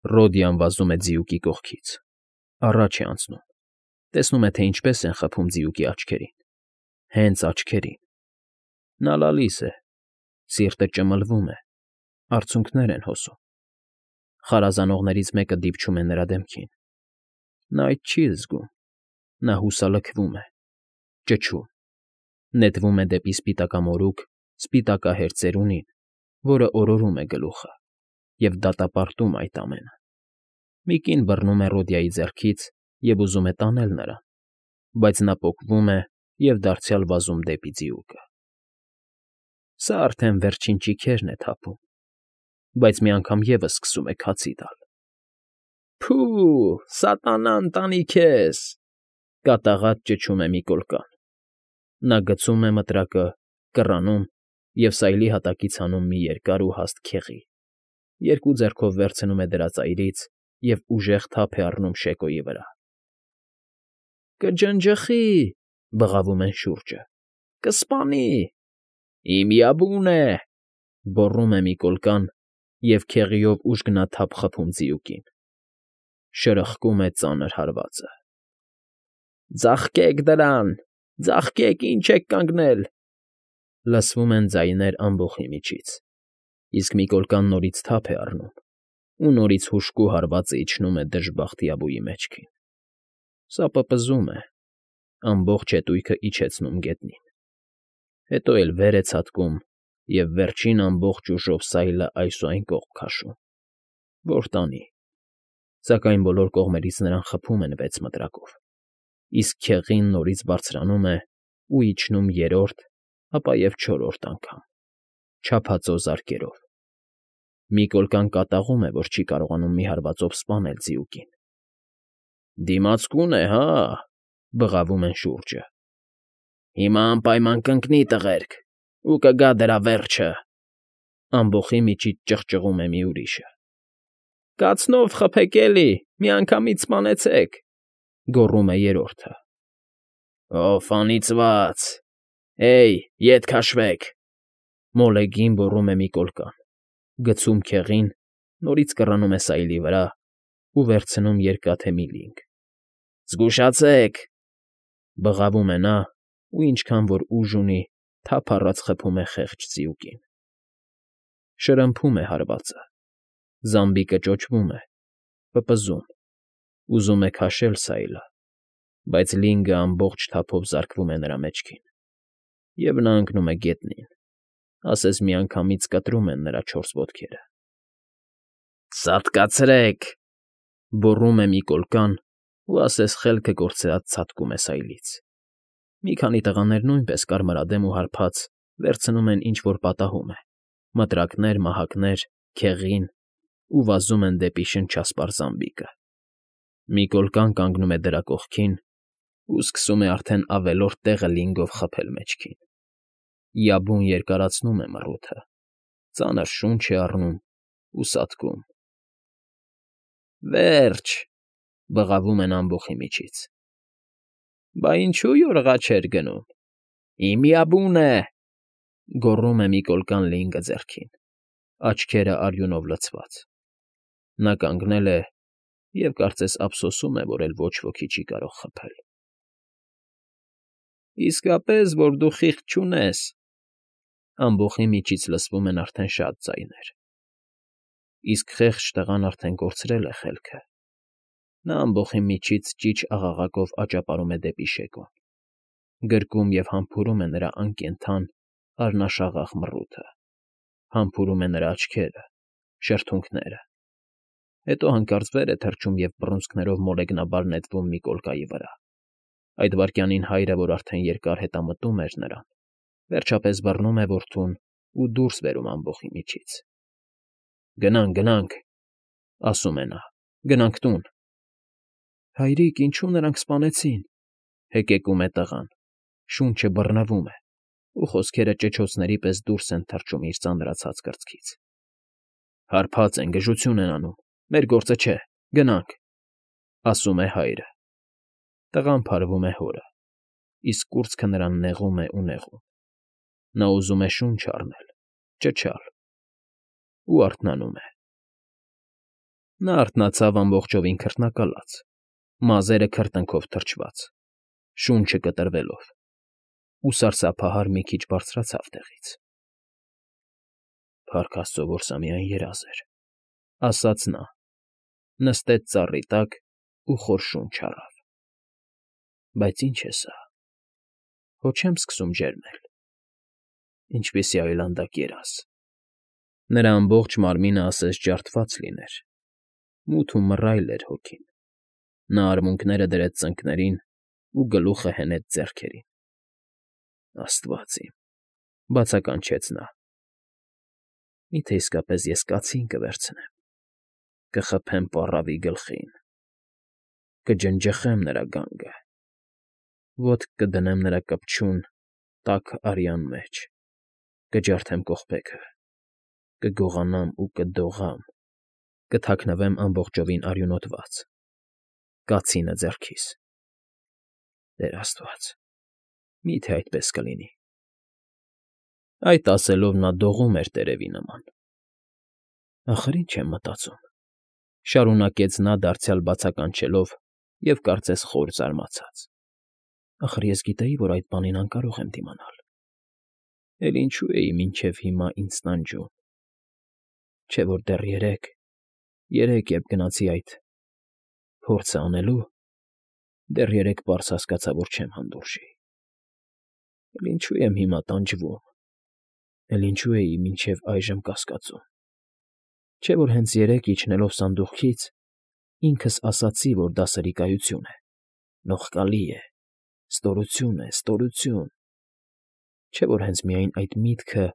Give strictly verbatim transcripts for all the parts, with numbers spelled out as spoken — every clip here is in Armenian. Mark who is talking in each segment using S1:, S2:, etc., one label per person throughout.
S1: Ռոդիան վազում է ձիուկի կողքից, առաջ է անցնում, տեսնում է, թե ինչպես են խփում ձիուկի աչքերին, հենց աչքերին. նա լալիս է, սիրտը ճմլվում է, արցունքներ են հոսում, խարազանողներից մեկը դիպչում է նրա դեմքին, նա այդ չի զգում, նա հուսալքվում է, ճչում, նետվում է դեպի սպիտակամորուք սպիտակահեր ծերունին, որը օրորում է գլուխը և դատապարտում այդ ամենը, մի կին բռնում է Ռոդիայի ձեռքից և ուզում է տանել նրան, բայց նա պոկվում է և դարձյալ վազում դեպի ձիուկը. Սա արդեն վերջին ճիգերն է թափում, բայց մի անգամ ևս սկսում է քացի տալ։ «Փո՜ւ, սատանա ընտանի քեզ», կատաղած ճչում է մի կոլկան, նա գցում է մտրակը, կռանում և սայլի հատակից հանում մի երկար ու հաստ քեղի, երկու ձեռքով վերցնում է դրա ծայրից և ուժեղ թափ է առնում շեկոյի վրա։ «Կջնջխի՜», բղավում են շուրջը, «կսպանի»։ «Իմիաբուն է», գոռում է մի կոլկան և քեղիով ուժգնաթափ խփում ձիուկին։ Շրխկում է ծանր հարվածը։ «Ձաղկեք դրան, ձաղկեք, ինչ եք կանգնել»։ Լսվում են ձայներ ամբոխի միջից, իսկ մի կոլկան նորից թափ է առնում, ու նորից հուժկու հարվածը իջնում է դժբախտ Յաբուի մեջքին։ Սա պպզում է, ամբողջ հետույքը իջեցնում գետնին, հետո էլ վեր է ցատկում և վերջին ամբողջ ուժով սայլը այս ու այն կողմ քաշում, որ տանի, սակայն բոլոր կողմերից նրան խփում են վեց մտրակով, իսկ քեղին նորից բարձրանում է ու իջնում երրորդ, ապա և չորրորդ անգամ, չափածո զարկերով։ Մի կոլկան կատաղում է, որ չի կարողանում մի հարվածով սպանել ձիուկին։ «Դիմացկուն է, հա՜», բղավում են շուրջը։ «Հիմա անպայման կընկնի, տղերք, ու կգա դրա վերջը», ամբոխի միջից ճղճղում է մի ուրիշը։ «Կացնով խփեք էլի, միանգամից սպանեցեք», գոռում է երրորդը։ «Օֆ անիծված, էյ, ետ քաշվեք», մոլեգին գոռում է մի կոլկան, գցում քեղին, նորից կռանում է սայլի վրա ու վերցնում երկաթե մի լինգ։ «Զգուշացե՛ք», բղավում է նա ու ինչքան որ ուժ ունի, թափ առած խփում է խեղճ ձիուկին։ Շրմփում է հարվածը, զամբիկը ճոճվում է, պպզում, ուզում է քաշել սայլը, բայց լինգը ամբողջ թափով զարկվում է նրա մեջքին, և նա ընկնում է գետնին, ասես միանգամից կտրում են նրա չորս ոտքերը։ «Սատկացրեք», գոռում է մի կոլկան ու ասես խելքը կորցրած ցատկում է սայլից։ Մի քանի տղաներ նույնպես կարմրադեմ ու հարբած վերցնում են ինչ֊որ պատահում է, մտրակներ, մահակներ, քեղին ու վազում են դեպի շնչասպառ զամբիկը։ Մի կոլկան կանգնում է դրա կողքին ու սկսում է արդեն ավելորդ տեղը լինգով խփել մեջքին։ Յաբուն երկարացնում է մռութը, ծանր շունչ է առնում ու սատկում։ «Վերջ», բղավում են ամբոխի միջից։ «Բա ինչու յորղա չէր գնում, իմիաբուն է», գոռում է մի կոլկան լինգը ձեռքին, աչքերը արյունով լցված։ Նա կանգնել է և կարծես ափսոսում է, որ էլ ոչ ոքի չի կարող խփել։ «Իսկապես, որ դու խիղճ չունես», ամբոխի միջից լսվում են արդեն շատ ձայներ։ Իսկ խեղճ տղան արդեն կորցրել է խելքը։ Նա ամբոխի միջից ճիչ աղաղակով աճապարում է դեպի շեկոն, գրկում և համբուրում է նրա անկենդան, առնաշաղախ մռութը, համբուրում է նրա աչքերը, շրթունքները, հետո հանկարծ վեր է թռչում և բռունցքներով մոլեգնաբար նետվում մի կոլկայի վրա։ Այդ վայրկյանին հայրը, որ արդեն երկար հետամտում էր նրան, վերջապես բռնում է որդուն ու դուրս բերում ամբոխի միջից։ «Գնանք, գնանք», ասում է նա, «գնանք տուն»։ «Հայրիկ, ինչու նրանք սպանեցին», հեկեկում է տղան, շունչը բռնվում է, ու խոսքերը ճչոցների պես դուրս են թռչում իր ծանրացած կրծքից։ «Հարբած են, գժություն են անում, մեր գործը չէ, գնանք», ասում է հայրը։ Տղան փարվում է հորը, իսկ կուրծքը նրան նեղում է ու նեղում։ Նա ուզում է շունչ առնել, ճչալ ու արթնանում է։ Նա արթնացավ ամբողջովին քրտնակալած, մազերը քրտինքով թրջված, շունչը կտրվելով, ու սարսափահար մի քիչ բարձրացավ տեղից։ «Փառք աստծո, որ սա միայն երազ էր», ֊ ասաց նա, նստեց ծառի տակ ու խոր շունչ առավ։ «Բայց ի՞նչ է սա, հո չեմ սկսում ջերմել։ Ինչպիսի այլանդակ երազ»։ Նրա ամբողջ մարմինը ասես ջարդված լիներ, մութ ու մռայլ էր հոգին։ Նա արմունկները դրեց ծնկներին ու գլուխը հենեց ձեռքերին։ «Աստված իմ,֊ բացականչեց նա,֊ մի՞թե իսկապես ես կացին կվերցնեմ, կխփեմ պառավի գլխին, կջնջխեմ նրա գանգը, ոտք կդնեմ նրա կպչուն, տաք արյան մեջ, կջարդեմ կողպեքը, կգողանամ ու կդողամ, կթաքնվեմ ամբողջովին արյունոտված, կացինը ձեռքիս… Տեր Աստված, մի՞թե այդպես կլինի»։ Այդ ասելով նա դողում էր տերևի նման։ «Ախր ի՞նչ եմ մտածում,֊ շարունակեց նա դարձյալ բացականչելով և կարծես խոր զարմացած։֊ Ախր ես գիտեի, որ այդ բանին անկարող եմ դիմանալ, էլ ինչո՞ւ էի մինչև հիմա ինձ տանջում… Չէ՞ որ դեռ երեկ, երեկ, երբ գնացի այդ… փորձը անելու, դեռ երեկ պարզ հասկացա, որ չեմ հանդուրժի… Էլ ինչո՞ւ եմ հիմա տանջվում, էլ ինչո՞ւ էի մինչև այժմ կասկածում… Չէ՞ որ հենց երեկ, իջնելով սանդուղքից, ինքս ասացի, որ դա սրիկայություն է, նողկալի է, ստորություն է, ստորություն… Չէ՞ որ հենց միայն այդ միտքը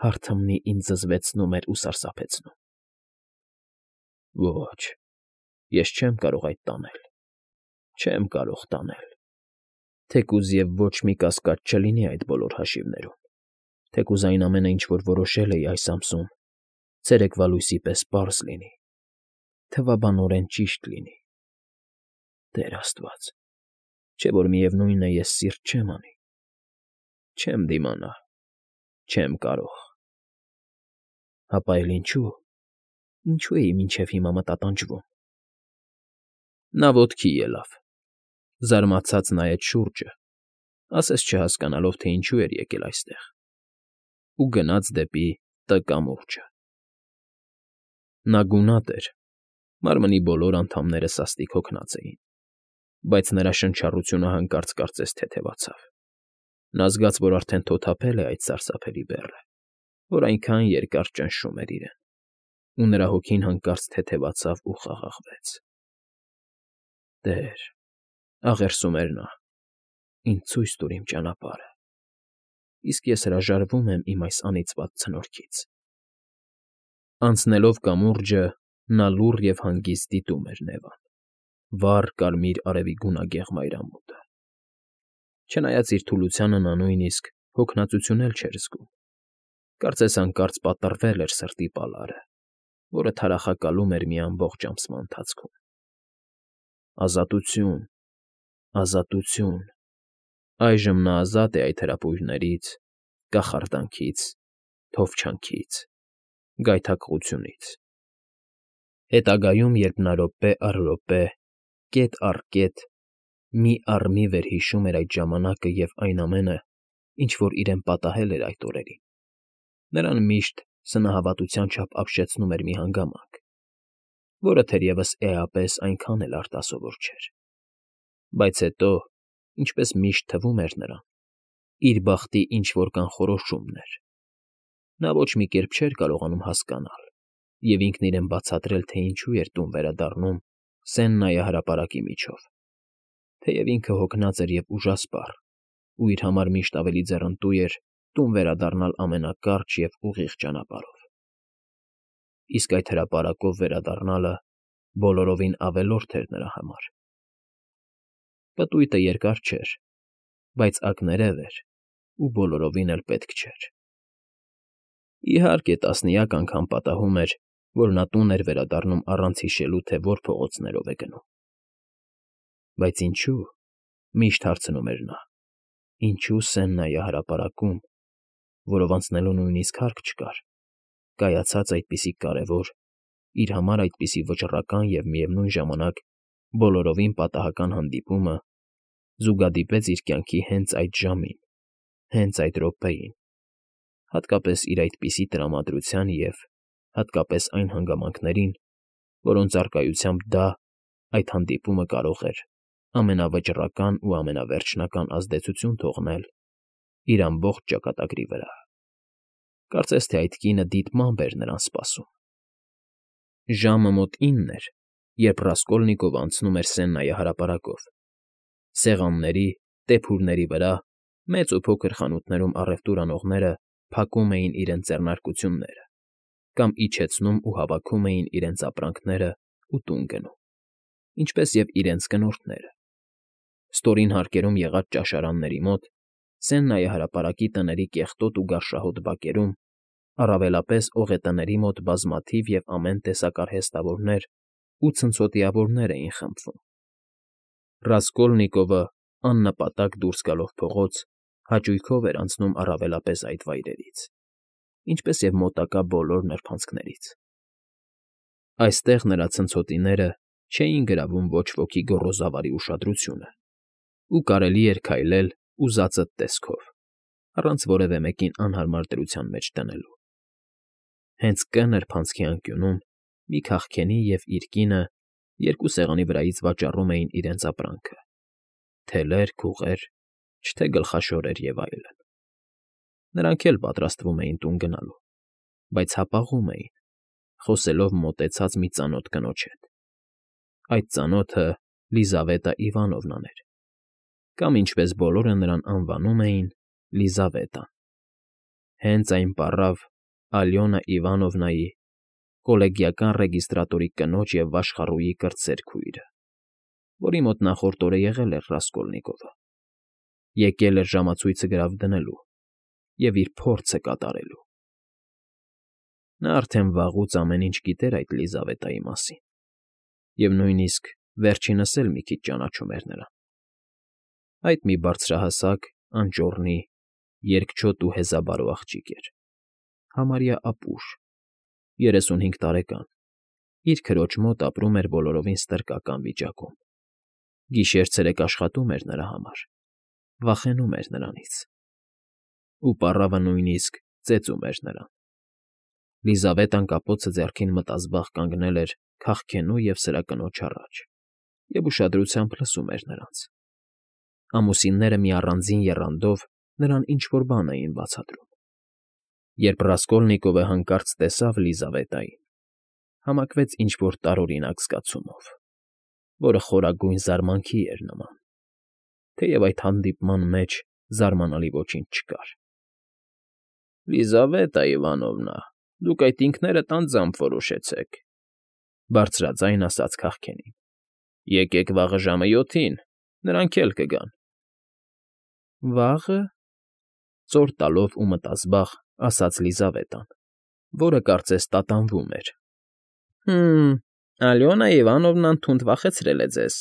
S1: հարթմնի ինձ զզվեցնում էր ու սարսափեցնում… Ոչ, ես չեմ կարող այդ տանել, չեմ կարող տանել… Թեկուզ և ոչ մի կասկած չլինի այդ բոլոր հաշիվներում, թեկուզ այն ամենը, ինչ որ որոշել էի այս ամսում, ցերեկվա լույսի պես պարզ լինի, թվաբանորեն ճիշտ լինի… Տեր Աստված, չէ՞ որ միևնույն է, ես սիրտ չեմ անի… Չեմ դիմանա, չեմ կարող… Հապա էլ ինչո՞ւ, ինչո՞ւ էի մինչև հիմա մտատանջվում… Նա ոտքի ելավ, զարմացած նայեց շուրջը, ասես չհասկանալով, թե ինչու էր եկել այստեղ, ու գնաց դեպի Տ կամուրջը։ Նա գունատ էր, մարմնի բոլոր անդամները սաստիկ հոգնած էին, բայց նրա շնչառությունը հանկարծ կարծես թեթևացավ։ Նա զգաց, որ արդեն թոթափել է այդ սարսափելի բեռը, որ այնքան երկար ճնշում էր իրեն, ու նրա հոգին հանկարծ թեթևացավ ու խաղաղվեց։ «Տեր,֊ աղերսում էր նա,֊ ինձ ցույց տուր իմ ճանապարհը, իսկ ես հրաժարվում եմ իմ այս անիծյալ ցնորքից»։ Անցնելով կամուրջը՝ նա լուռ և հանգիստ դիտում էր Նևան, վառ կարմիր արևի գունագեղ մայրամուտը։ Չնայած իր թուլությանը նա նույնիսկ հոգնածություն էլ չէր զգում, կարծես հանկարծ պատռվել էր սրտի պալարը, որը թարախակալում էր մի ամբողջ ամսվա ընթացքում։ Ազատություն… ազատություն… Այժմ նա ազատ է այդ հրապույրներից, կախարդանքից, թովչանքից, գայթակղությունից… Հետագայում, երբ նա րոպե առ րոպե, կետ առ կետ, մի առ մի վերհիշում էր այդ ժամանակը և այն ամենը, ինչ որ իրեն պատահել էր այդ օրերին, նրան միշտ սնահավատության չափ ապշեցնում էր մի հանգամանք, որը թերևս էապես այնքան էլ արտասովոր չէր… Բայց հետո, ինչպես միշտ թվում էր նրան, իր բախտի ինչ֊որ կանխորոշումն էր… Նա ոչ մի կերպ չէր կարողանում հասկանալ և ինքն իրեն բացատրել, թե ինչու էր տուն վերադառնում Սեննայի հրապարակի միջով, թեև ինքը հոգնած էր և ուժասպառ ու իր համար միշտ ավելի ձեռնտու էր տուն վերադառնալ ամենակարճ և ուղիղ ճանապարհով… Իսկ այդ հրապարակով վերադառնալը բոլորովին ավելորդ էր նրա համար… Պտույտը երկար չէր, բայց ակներև էր ու բոլորովին էլ պետք չէր… Իհարկե, տասնյակ անգամ պատահում էր, որ նա տուն էր վերադառնում առանց հիշելու, թե որ փողոցներով է գնում… Բայց ինչո՞ւ, միշտ հարցնում էր նա, ինչո՞ւ Սեննայի հրապարակում, որով անցնելու նույնիսկ հարկ չկար, կայացած այդպիսի կարևոր իր համար այդպիսի վճռական և միևնույն ժամանակ բոլորովին պատահական հանդիպումը զուգադիպեց իր կյանքի հենց այդ ժամին, հենց այդ րոպեին, հատկապես իր այդպիսի տրամադրության և, հատկապես այն հանգամանքներին, որոնց առկայությամբ դա, այդ հանդիպումը կարող էր ամենավճռական ու ամենավերջնական ազդեցություն թողնել իր ամբողջ ճակատագրի վրա. կարծես թե այդ կինը դիտմամբ էր նրան սպասում։ Ժամը մոտ ինն էր, երբ Ռասկոլնիկովը անցնում էր Սեննայի հրապարակով. սեղանների, տեփուրների վրա, մեծ ու փոքր խանութներում առևտուր անողները փակում էին իրենց ձեռնարկությունները կամ իջեցնում ու հավաքում էին իրենց ապրանքներն ու տուն գնում, ինչպես և իրենց կնորդները։ Ստորին հարկերում եղած ճաշարանների մոտ, Սեննայի հրապարակի տների կեղտոտ ու գարշահոտ բակերում, առավելապես օղետների մոտ բազմաթիվ և ամեն տեսակ արհեստավորներ ու ցնցոտիավորներ էին խմբվում։ Ռասկոլնիկովը, աննպատակ դուրս գալով փողոց, հաճույքով էր անցնում առավելապես այդ վայրերից, ինչպես և մոտակա բոլոր նրբանցքներից։ Այստեղ նրա ցնցոտիները չէին գրավում ոչ ոքի գոռոզավարի ուշադրությունը, ու կարելի էր քայլել ուզածդ տեսքով, առանց որևէ մեկին անհարմար դրության մեջ դնելու։ Հենց Կ նրբանցքի անկյունում մի քաղքենի և իր կինը երկու սեղանի վրայից վաճառում էին իրենց ապրանքը՝ թելեր, քուղեր, չէ թե գլխաշորեր և այլն։ Նրանք էլ պատրաստվում էին տուն գնալու, բայց հապաղում էին, խոսելով մոտեցած մի ծանոթ կնոջ հետ։ Այդ ծանոթը Լիզավետա Իվանովնան էր, կամ, ինչպես բոլորը նրան անվանում էին, Լիզավետան, հենց այն պառավ Ալյոնա Իվանովնայի, կոլեգիական ռեգիստրատորի կնոջ և վաշխառուի կրտսեր քույրը, որի մոտ նախորդ օրը եղել էր Ռասկոլնիկովը, եկել էր ժամացույցը գրավ դնելու և իր փորձը կատարելու։ Նա արդեն վաղուց ամեն ինչ գիտեր այդ Լիզավետայի մասին և նույնիսկ վերջինս էլ մի քիչ ճանաչում էր նրան։ Այդ մի բարձրահասակ, անճոռնի, երկչոտ ու հեզաբարո աղջիկ էր, համարյա ապուշ, երեսունհինգ տարեկան, իր քրոջ մոտ ապրում էր բոլորովին ստրկական վիճակում, գիշեր֊ցերեկ աշխատում էր նրա համար, վախենում էր նրանից։ Ու պառավը նույնիսկ ծեծում էր նրան։ Լիզավետան կապոցը ձեռքին մտազբաղ կանգնել էր քաղքենու և սրա կնոջ առաջ և ուշադրությամբ լսում էր նրանց։ Ամուսինները մի առանձին եռանդով նրան ինչ֊որ բան էին բացատրում։ Երբ Ռասկոլնիկովը հանկարծ տեսավ Լիզավետային, համակվեց ինչ֊որ տարօրինակ զգացումով, որը խորագույն զարմանքի էր նման, թեև այդ հանդիպման մեջ զարմանալի ոչինչ չկար։ ֊ Լիզավետա Իվանովնա, դուք այդ ինքներդ անձամբ որոշեցեք,֊ բարձրաձայն ասաց քաղքենին։֊ Եկեք վաղը ժամը յոթին, նրանք էլ կգան։ ֊ Վաղը,֊ ծոր տալով ու մտազբաղ ասաց Լիզավետան, որը կարծես տատանվում էր։ ֊ Հը՜մ, Ալյոնա Իվանովնան թունդ վախեցրել է ձեզ,֊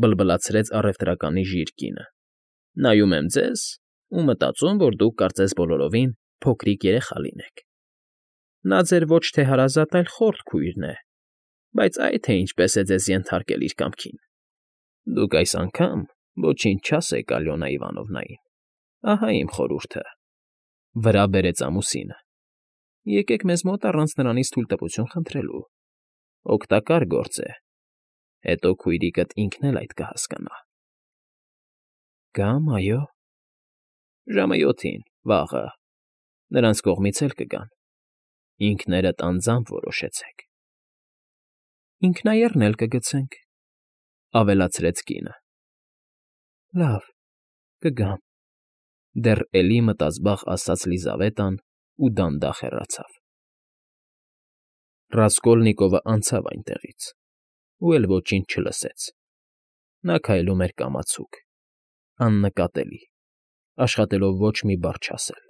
S1: բլբլացրեց առևտրականի ժիր կինը։֊ Նայում եմ ձեզ ու մտածում, որ դուք կարծես բոլորովին փոքրիկ երեխա լինեք։ Նա ձեր ոչ թե հարազատ, այլ խորթ քույրն է, բայց այ թե ինչպես է ձեզ ենթարկել իր կամքին։ Դուք այս անգամ ոչինչ չասեք Ալյոնա Իվանովնային, ահա իմ խորհուրդը,֊ վրա բերեց ամուսինը։ Եկեք մեզ մոտ առանց նրանից թույլտվություն խնդրելու, օգտակար գործ է, հետո քույրիկդ ինքն էլ այդ կհասկանա։ ֊ Գամ, այո։ ֊ Ժամը յոթին, վաղը, նրանց կողմից էլ կգան, ինքներդ անձամբ որոշեցեք։ ֊ Ինքնաեռն էլ կգցենք,֊ ավելացրեց կինը։ ֊ Լավ, կգամ,֊ դեռ էլի մտազբաղ ասաց Լիզավետան ու դանդաղ հեռացավ։ Ռասկոլնիկովը անցավ այնտեղից ու էլ ոչինչ չլսեց։ Նա քայլում էր կամացուկ, աննկատելի, աշխատելով ոչ մի բառ չասել։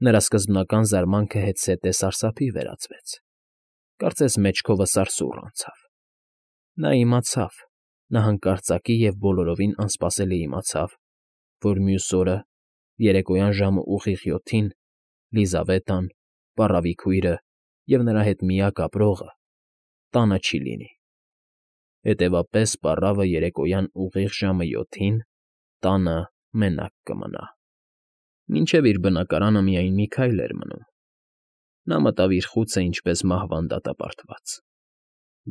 S1: Նրա սկզբնական զարմանքը հետզհետե սարսափի վերածվեց, կարծես մեջքովը սարսուռ անցավ։ Նա իմացավ, նա հանկարծակի և բոլորովին անսպասելի իմացավ, որ մյուս օրը, երեկոյան ժամը ուղիղ յոթին, Լիզավետան, պառավի քույրը, և նրա հետ միակ ապրողը տանը չի լինի։ Հետևաբար պառավը երեկոյան ուղիղ ժամը յոթին տանը մենակ կմնա։ Մինչև իր բնակարանը միայն մի քայլ էր մնում։ Նա մտավ իր խուցը ինչպես մահվան դատապարտված։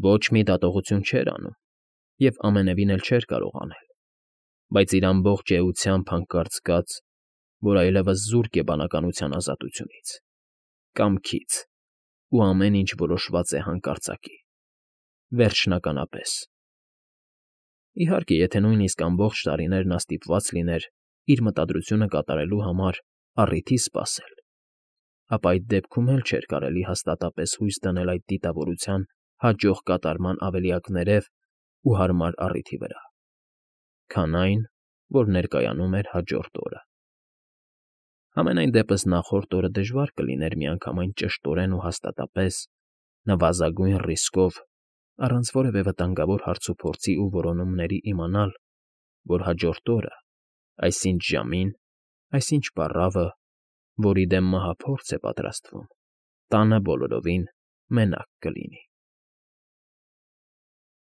S1: Ոչ մի դատողություն չէր անում և ամենևին էլ չէր կարող անել, բայց իր ամբողջ էությամբ հանկարծ զգաց, որ այլևս զուրկ է բանականության ազատությունից, կամքից, ու ամեն ինչ որոշված է հանկարծակի, վերջնականապես։ Իհարկե, եթե նույնիսկ ամբողջ տարիներ նա ստիպված լիներ իր մտադրությունը կատարելու համար առիթի սպասել, ապա այդ դեպքում էլ չէր կարելի հաստատապես հույս դնել այդ դիտավորության հաջող կատարման ավելի ակներև ու հարմար առիթի վրա, քան այն, որ ներկայանում էր հաջորդ օրը։ Համենայն դեպս նախորդ օրը դժվար կլիներ միանգամայն ճշտորեն ու հաստատապես, նվազագույն ռիսկով, առանց որևէ վտանգավոր հարցուփորձի ու որոնումների իմանալ, որ հաջորդ օրը, այսինչ ժամին, այսինչ պառավը, որի դեմ մահափորձ է պատրաստվում, տանը բոլորովին մենակ կլինի։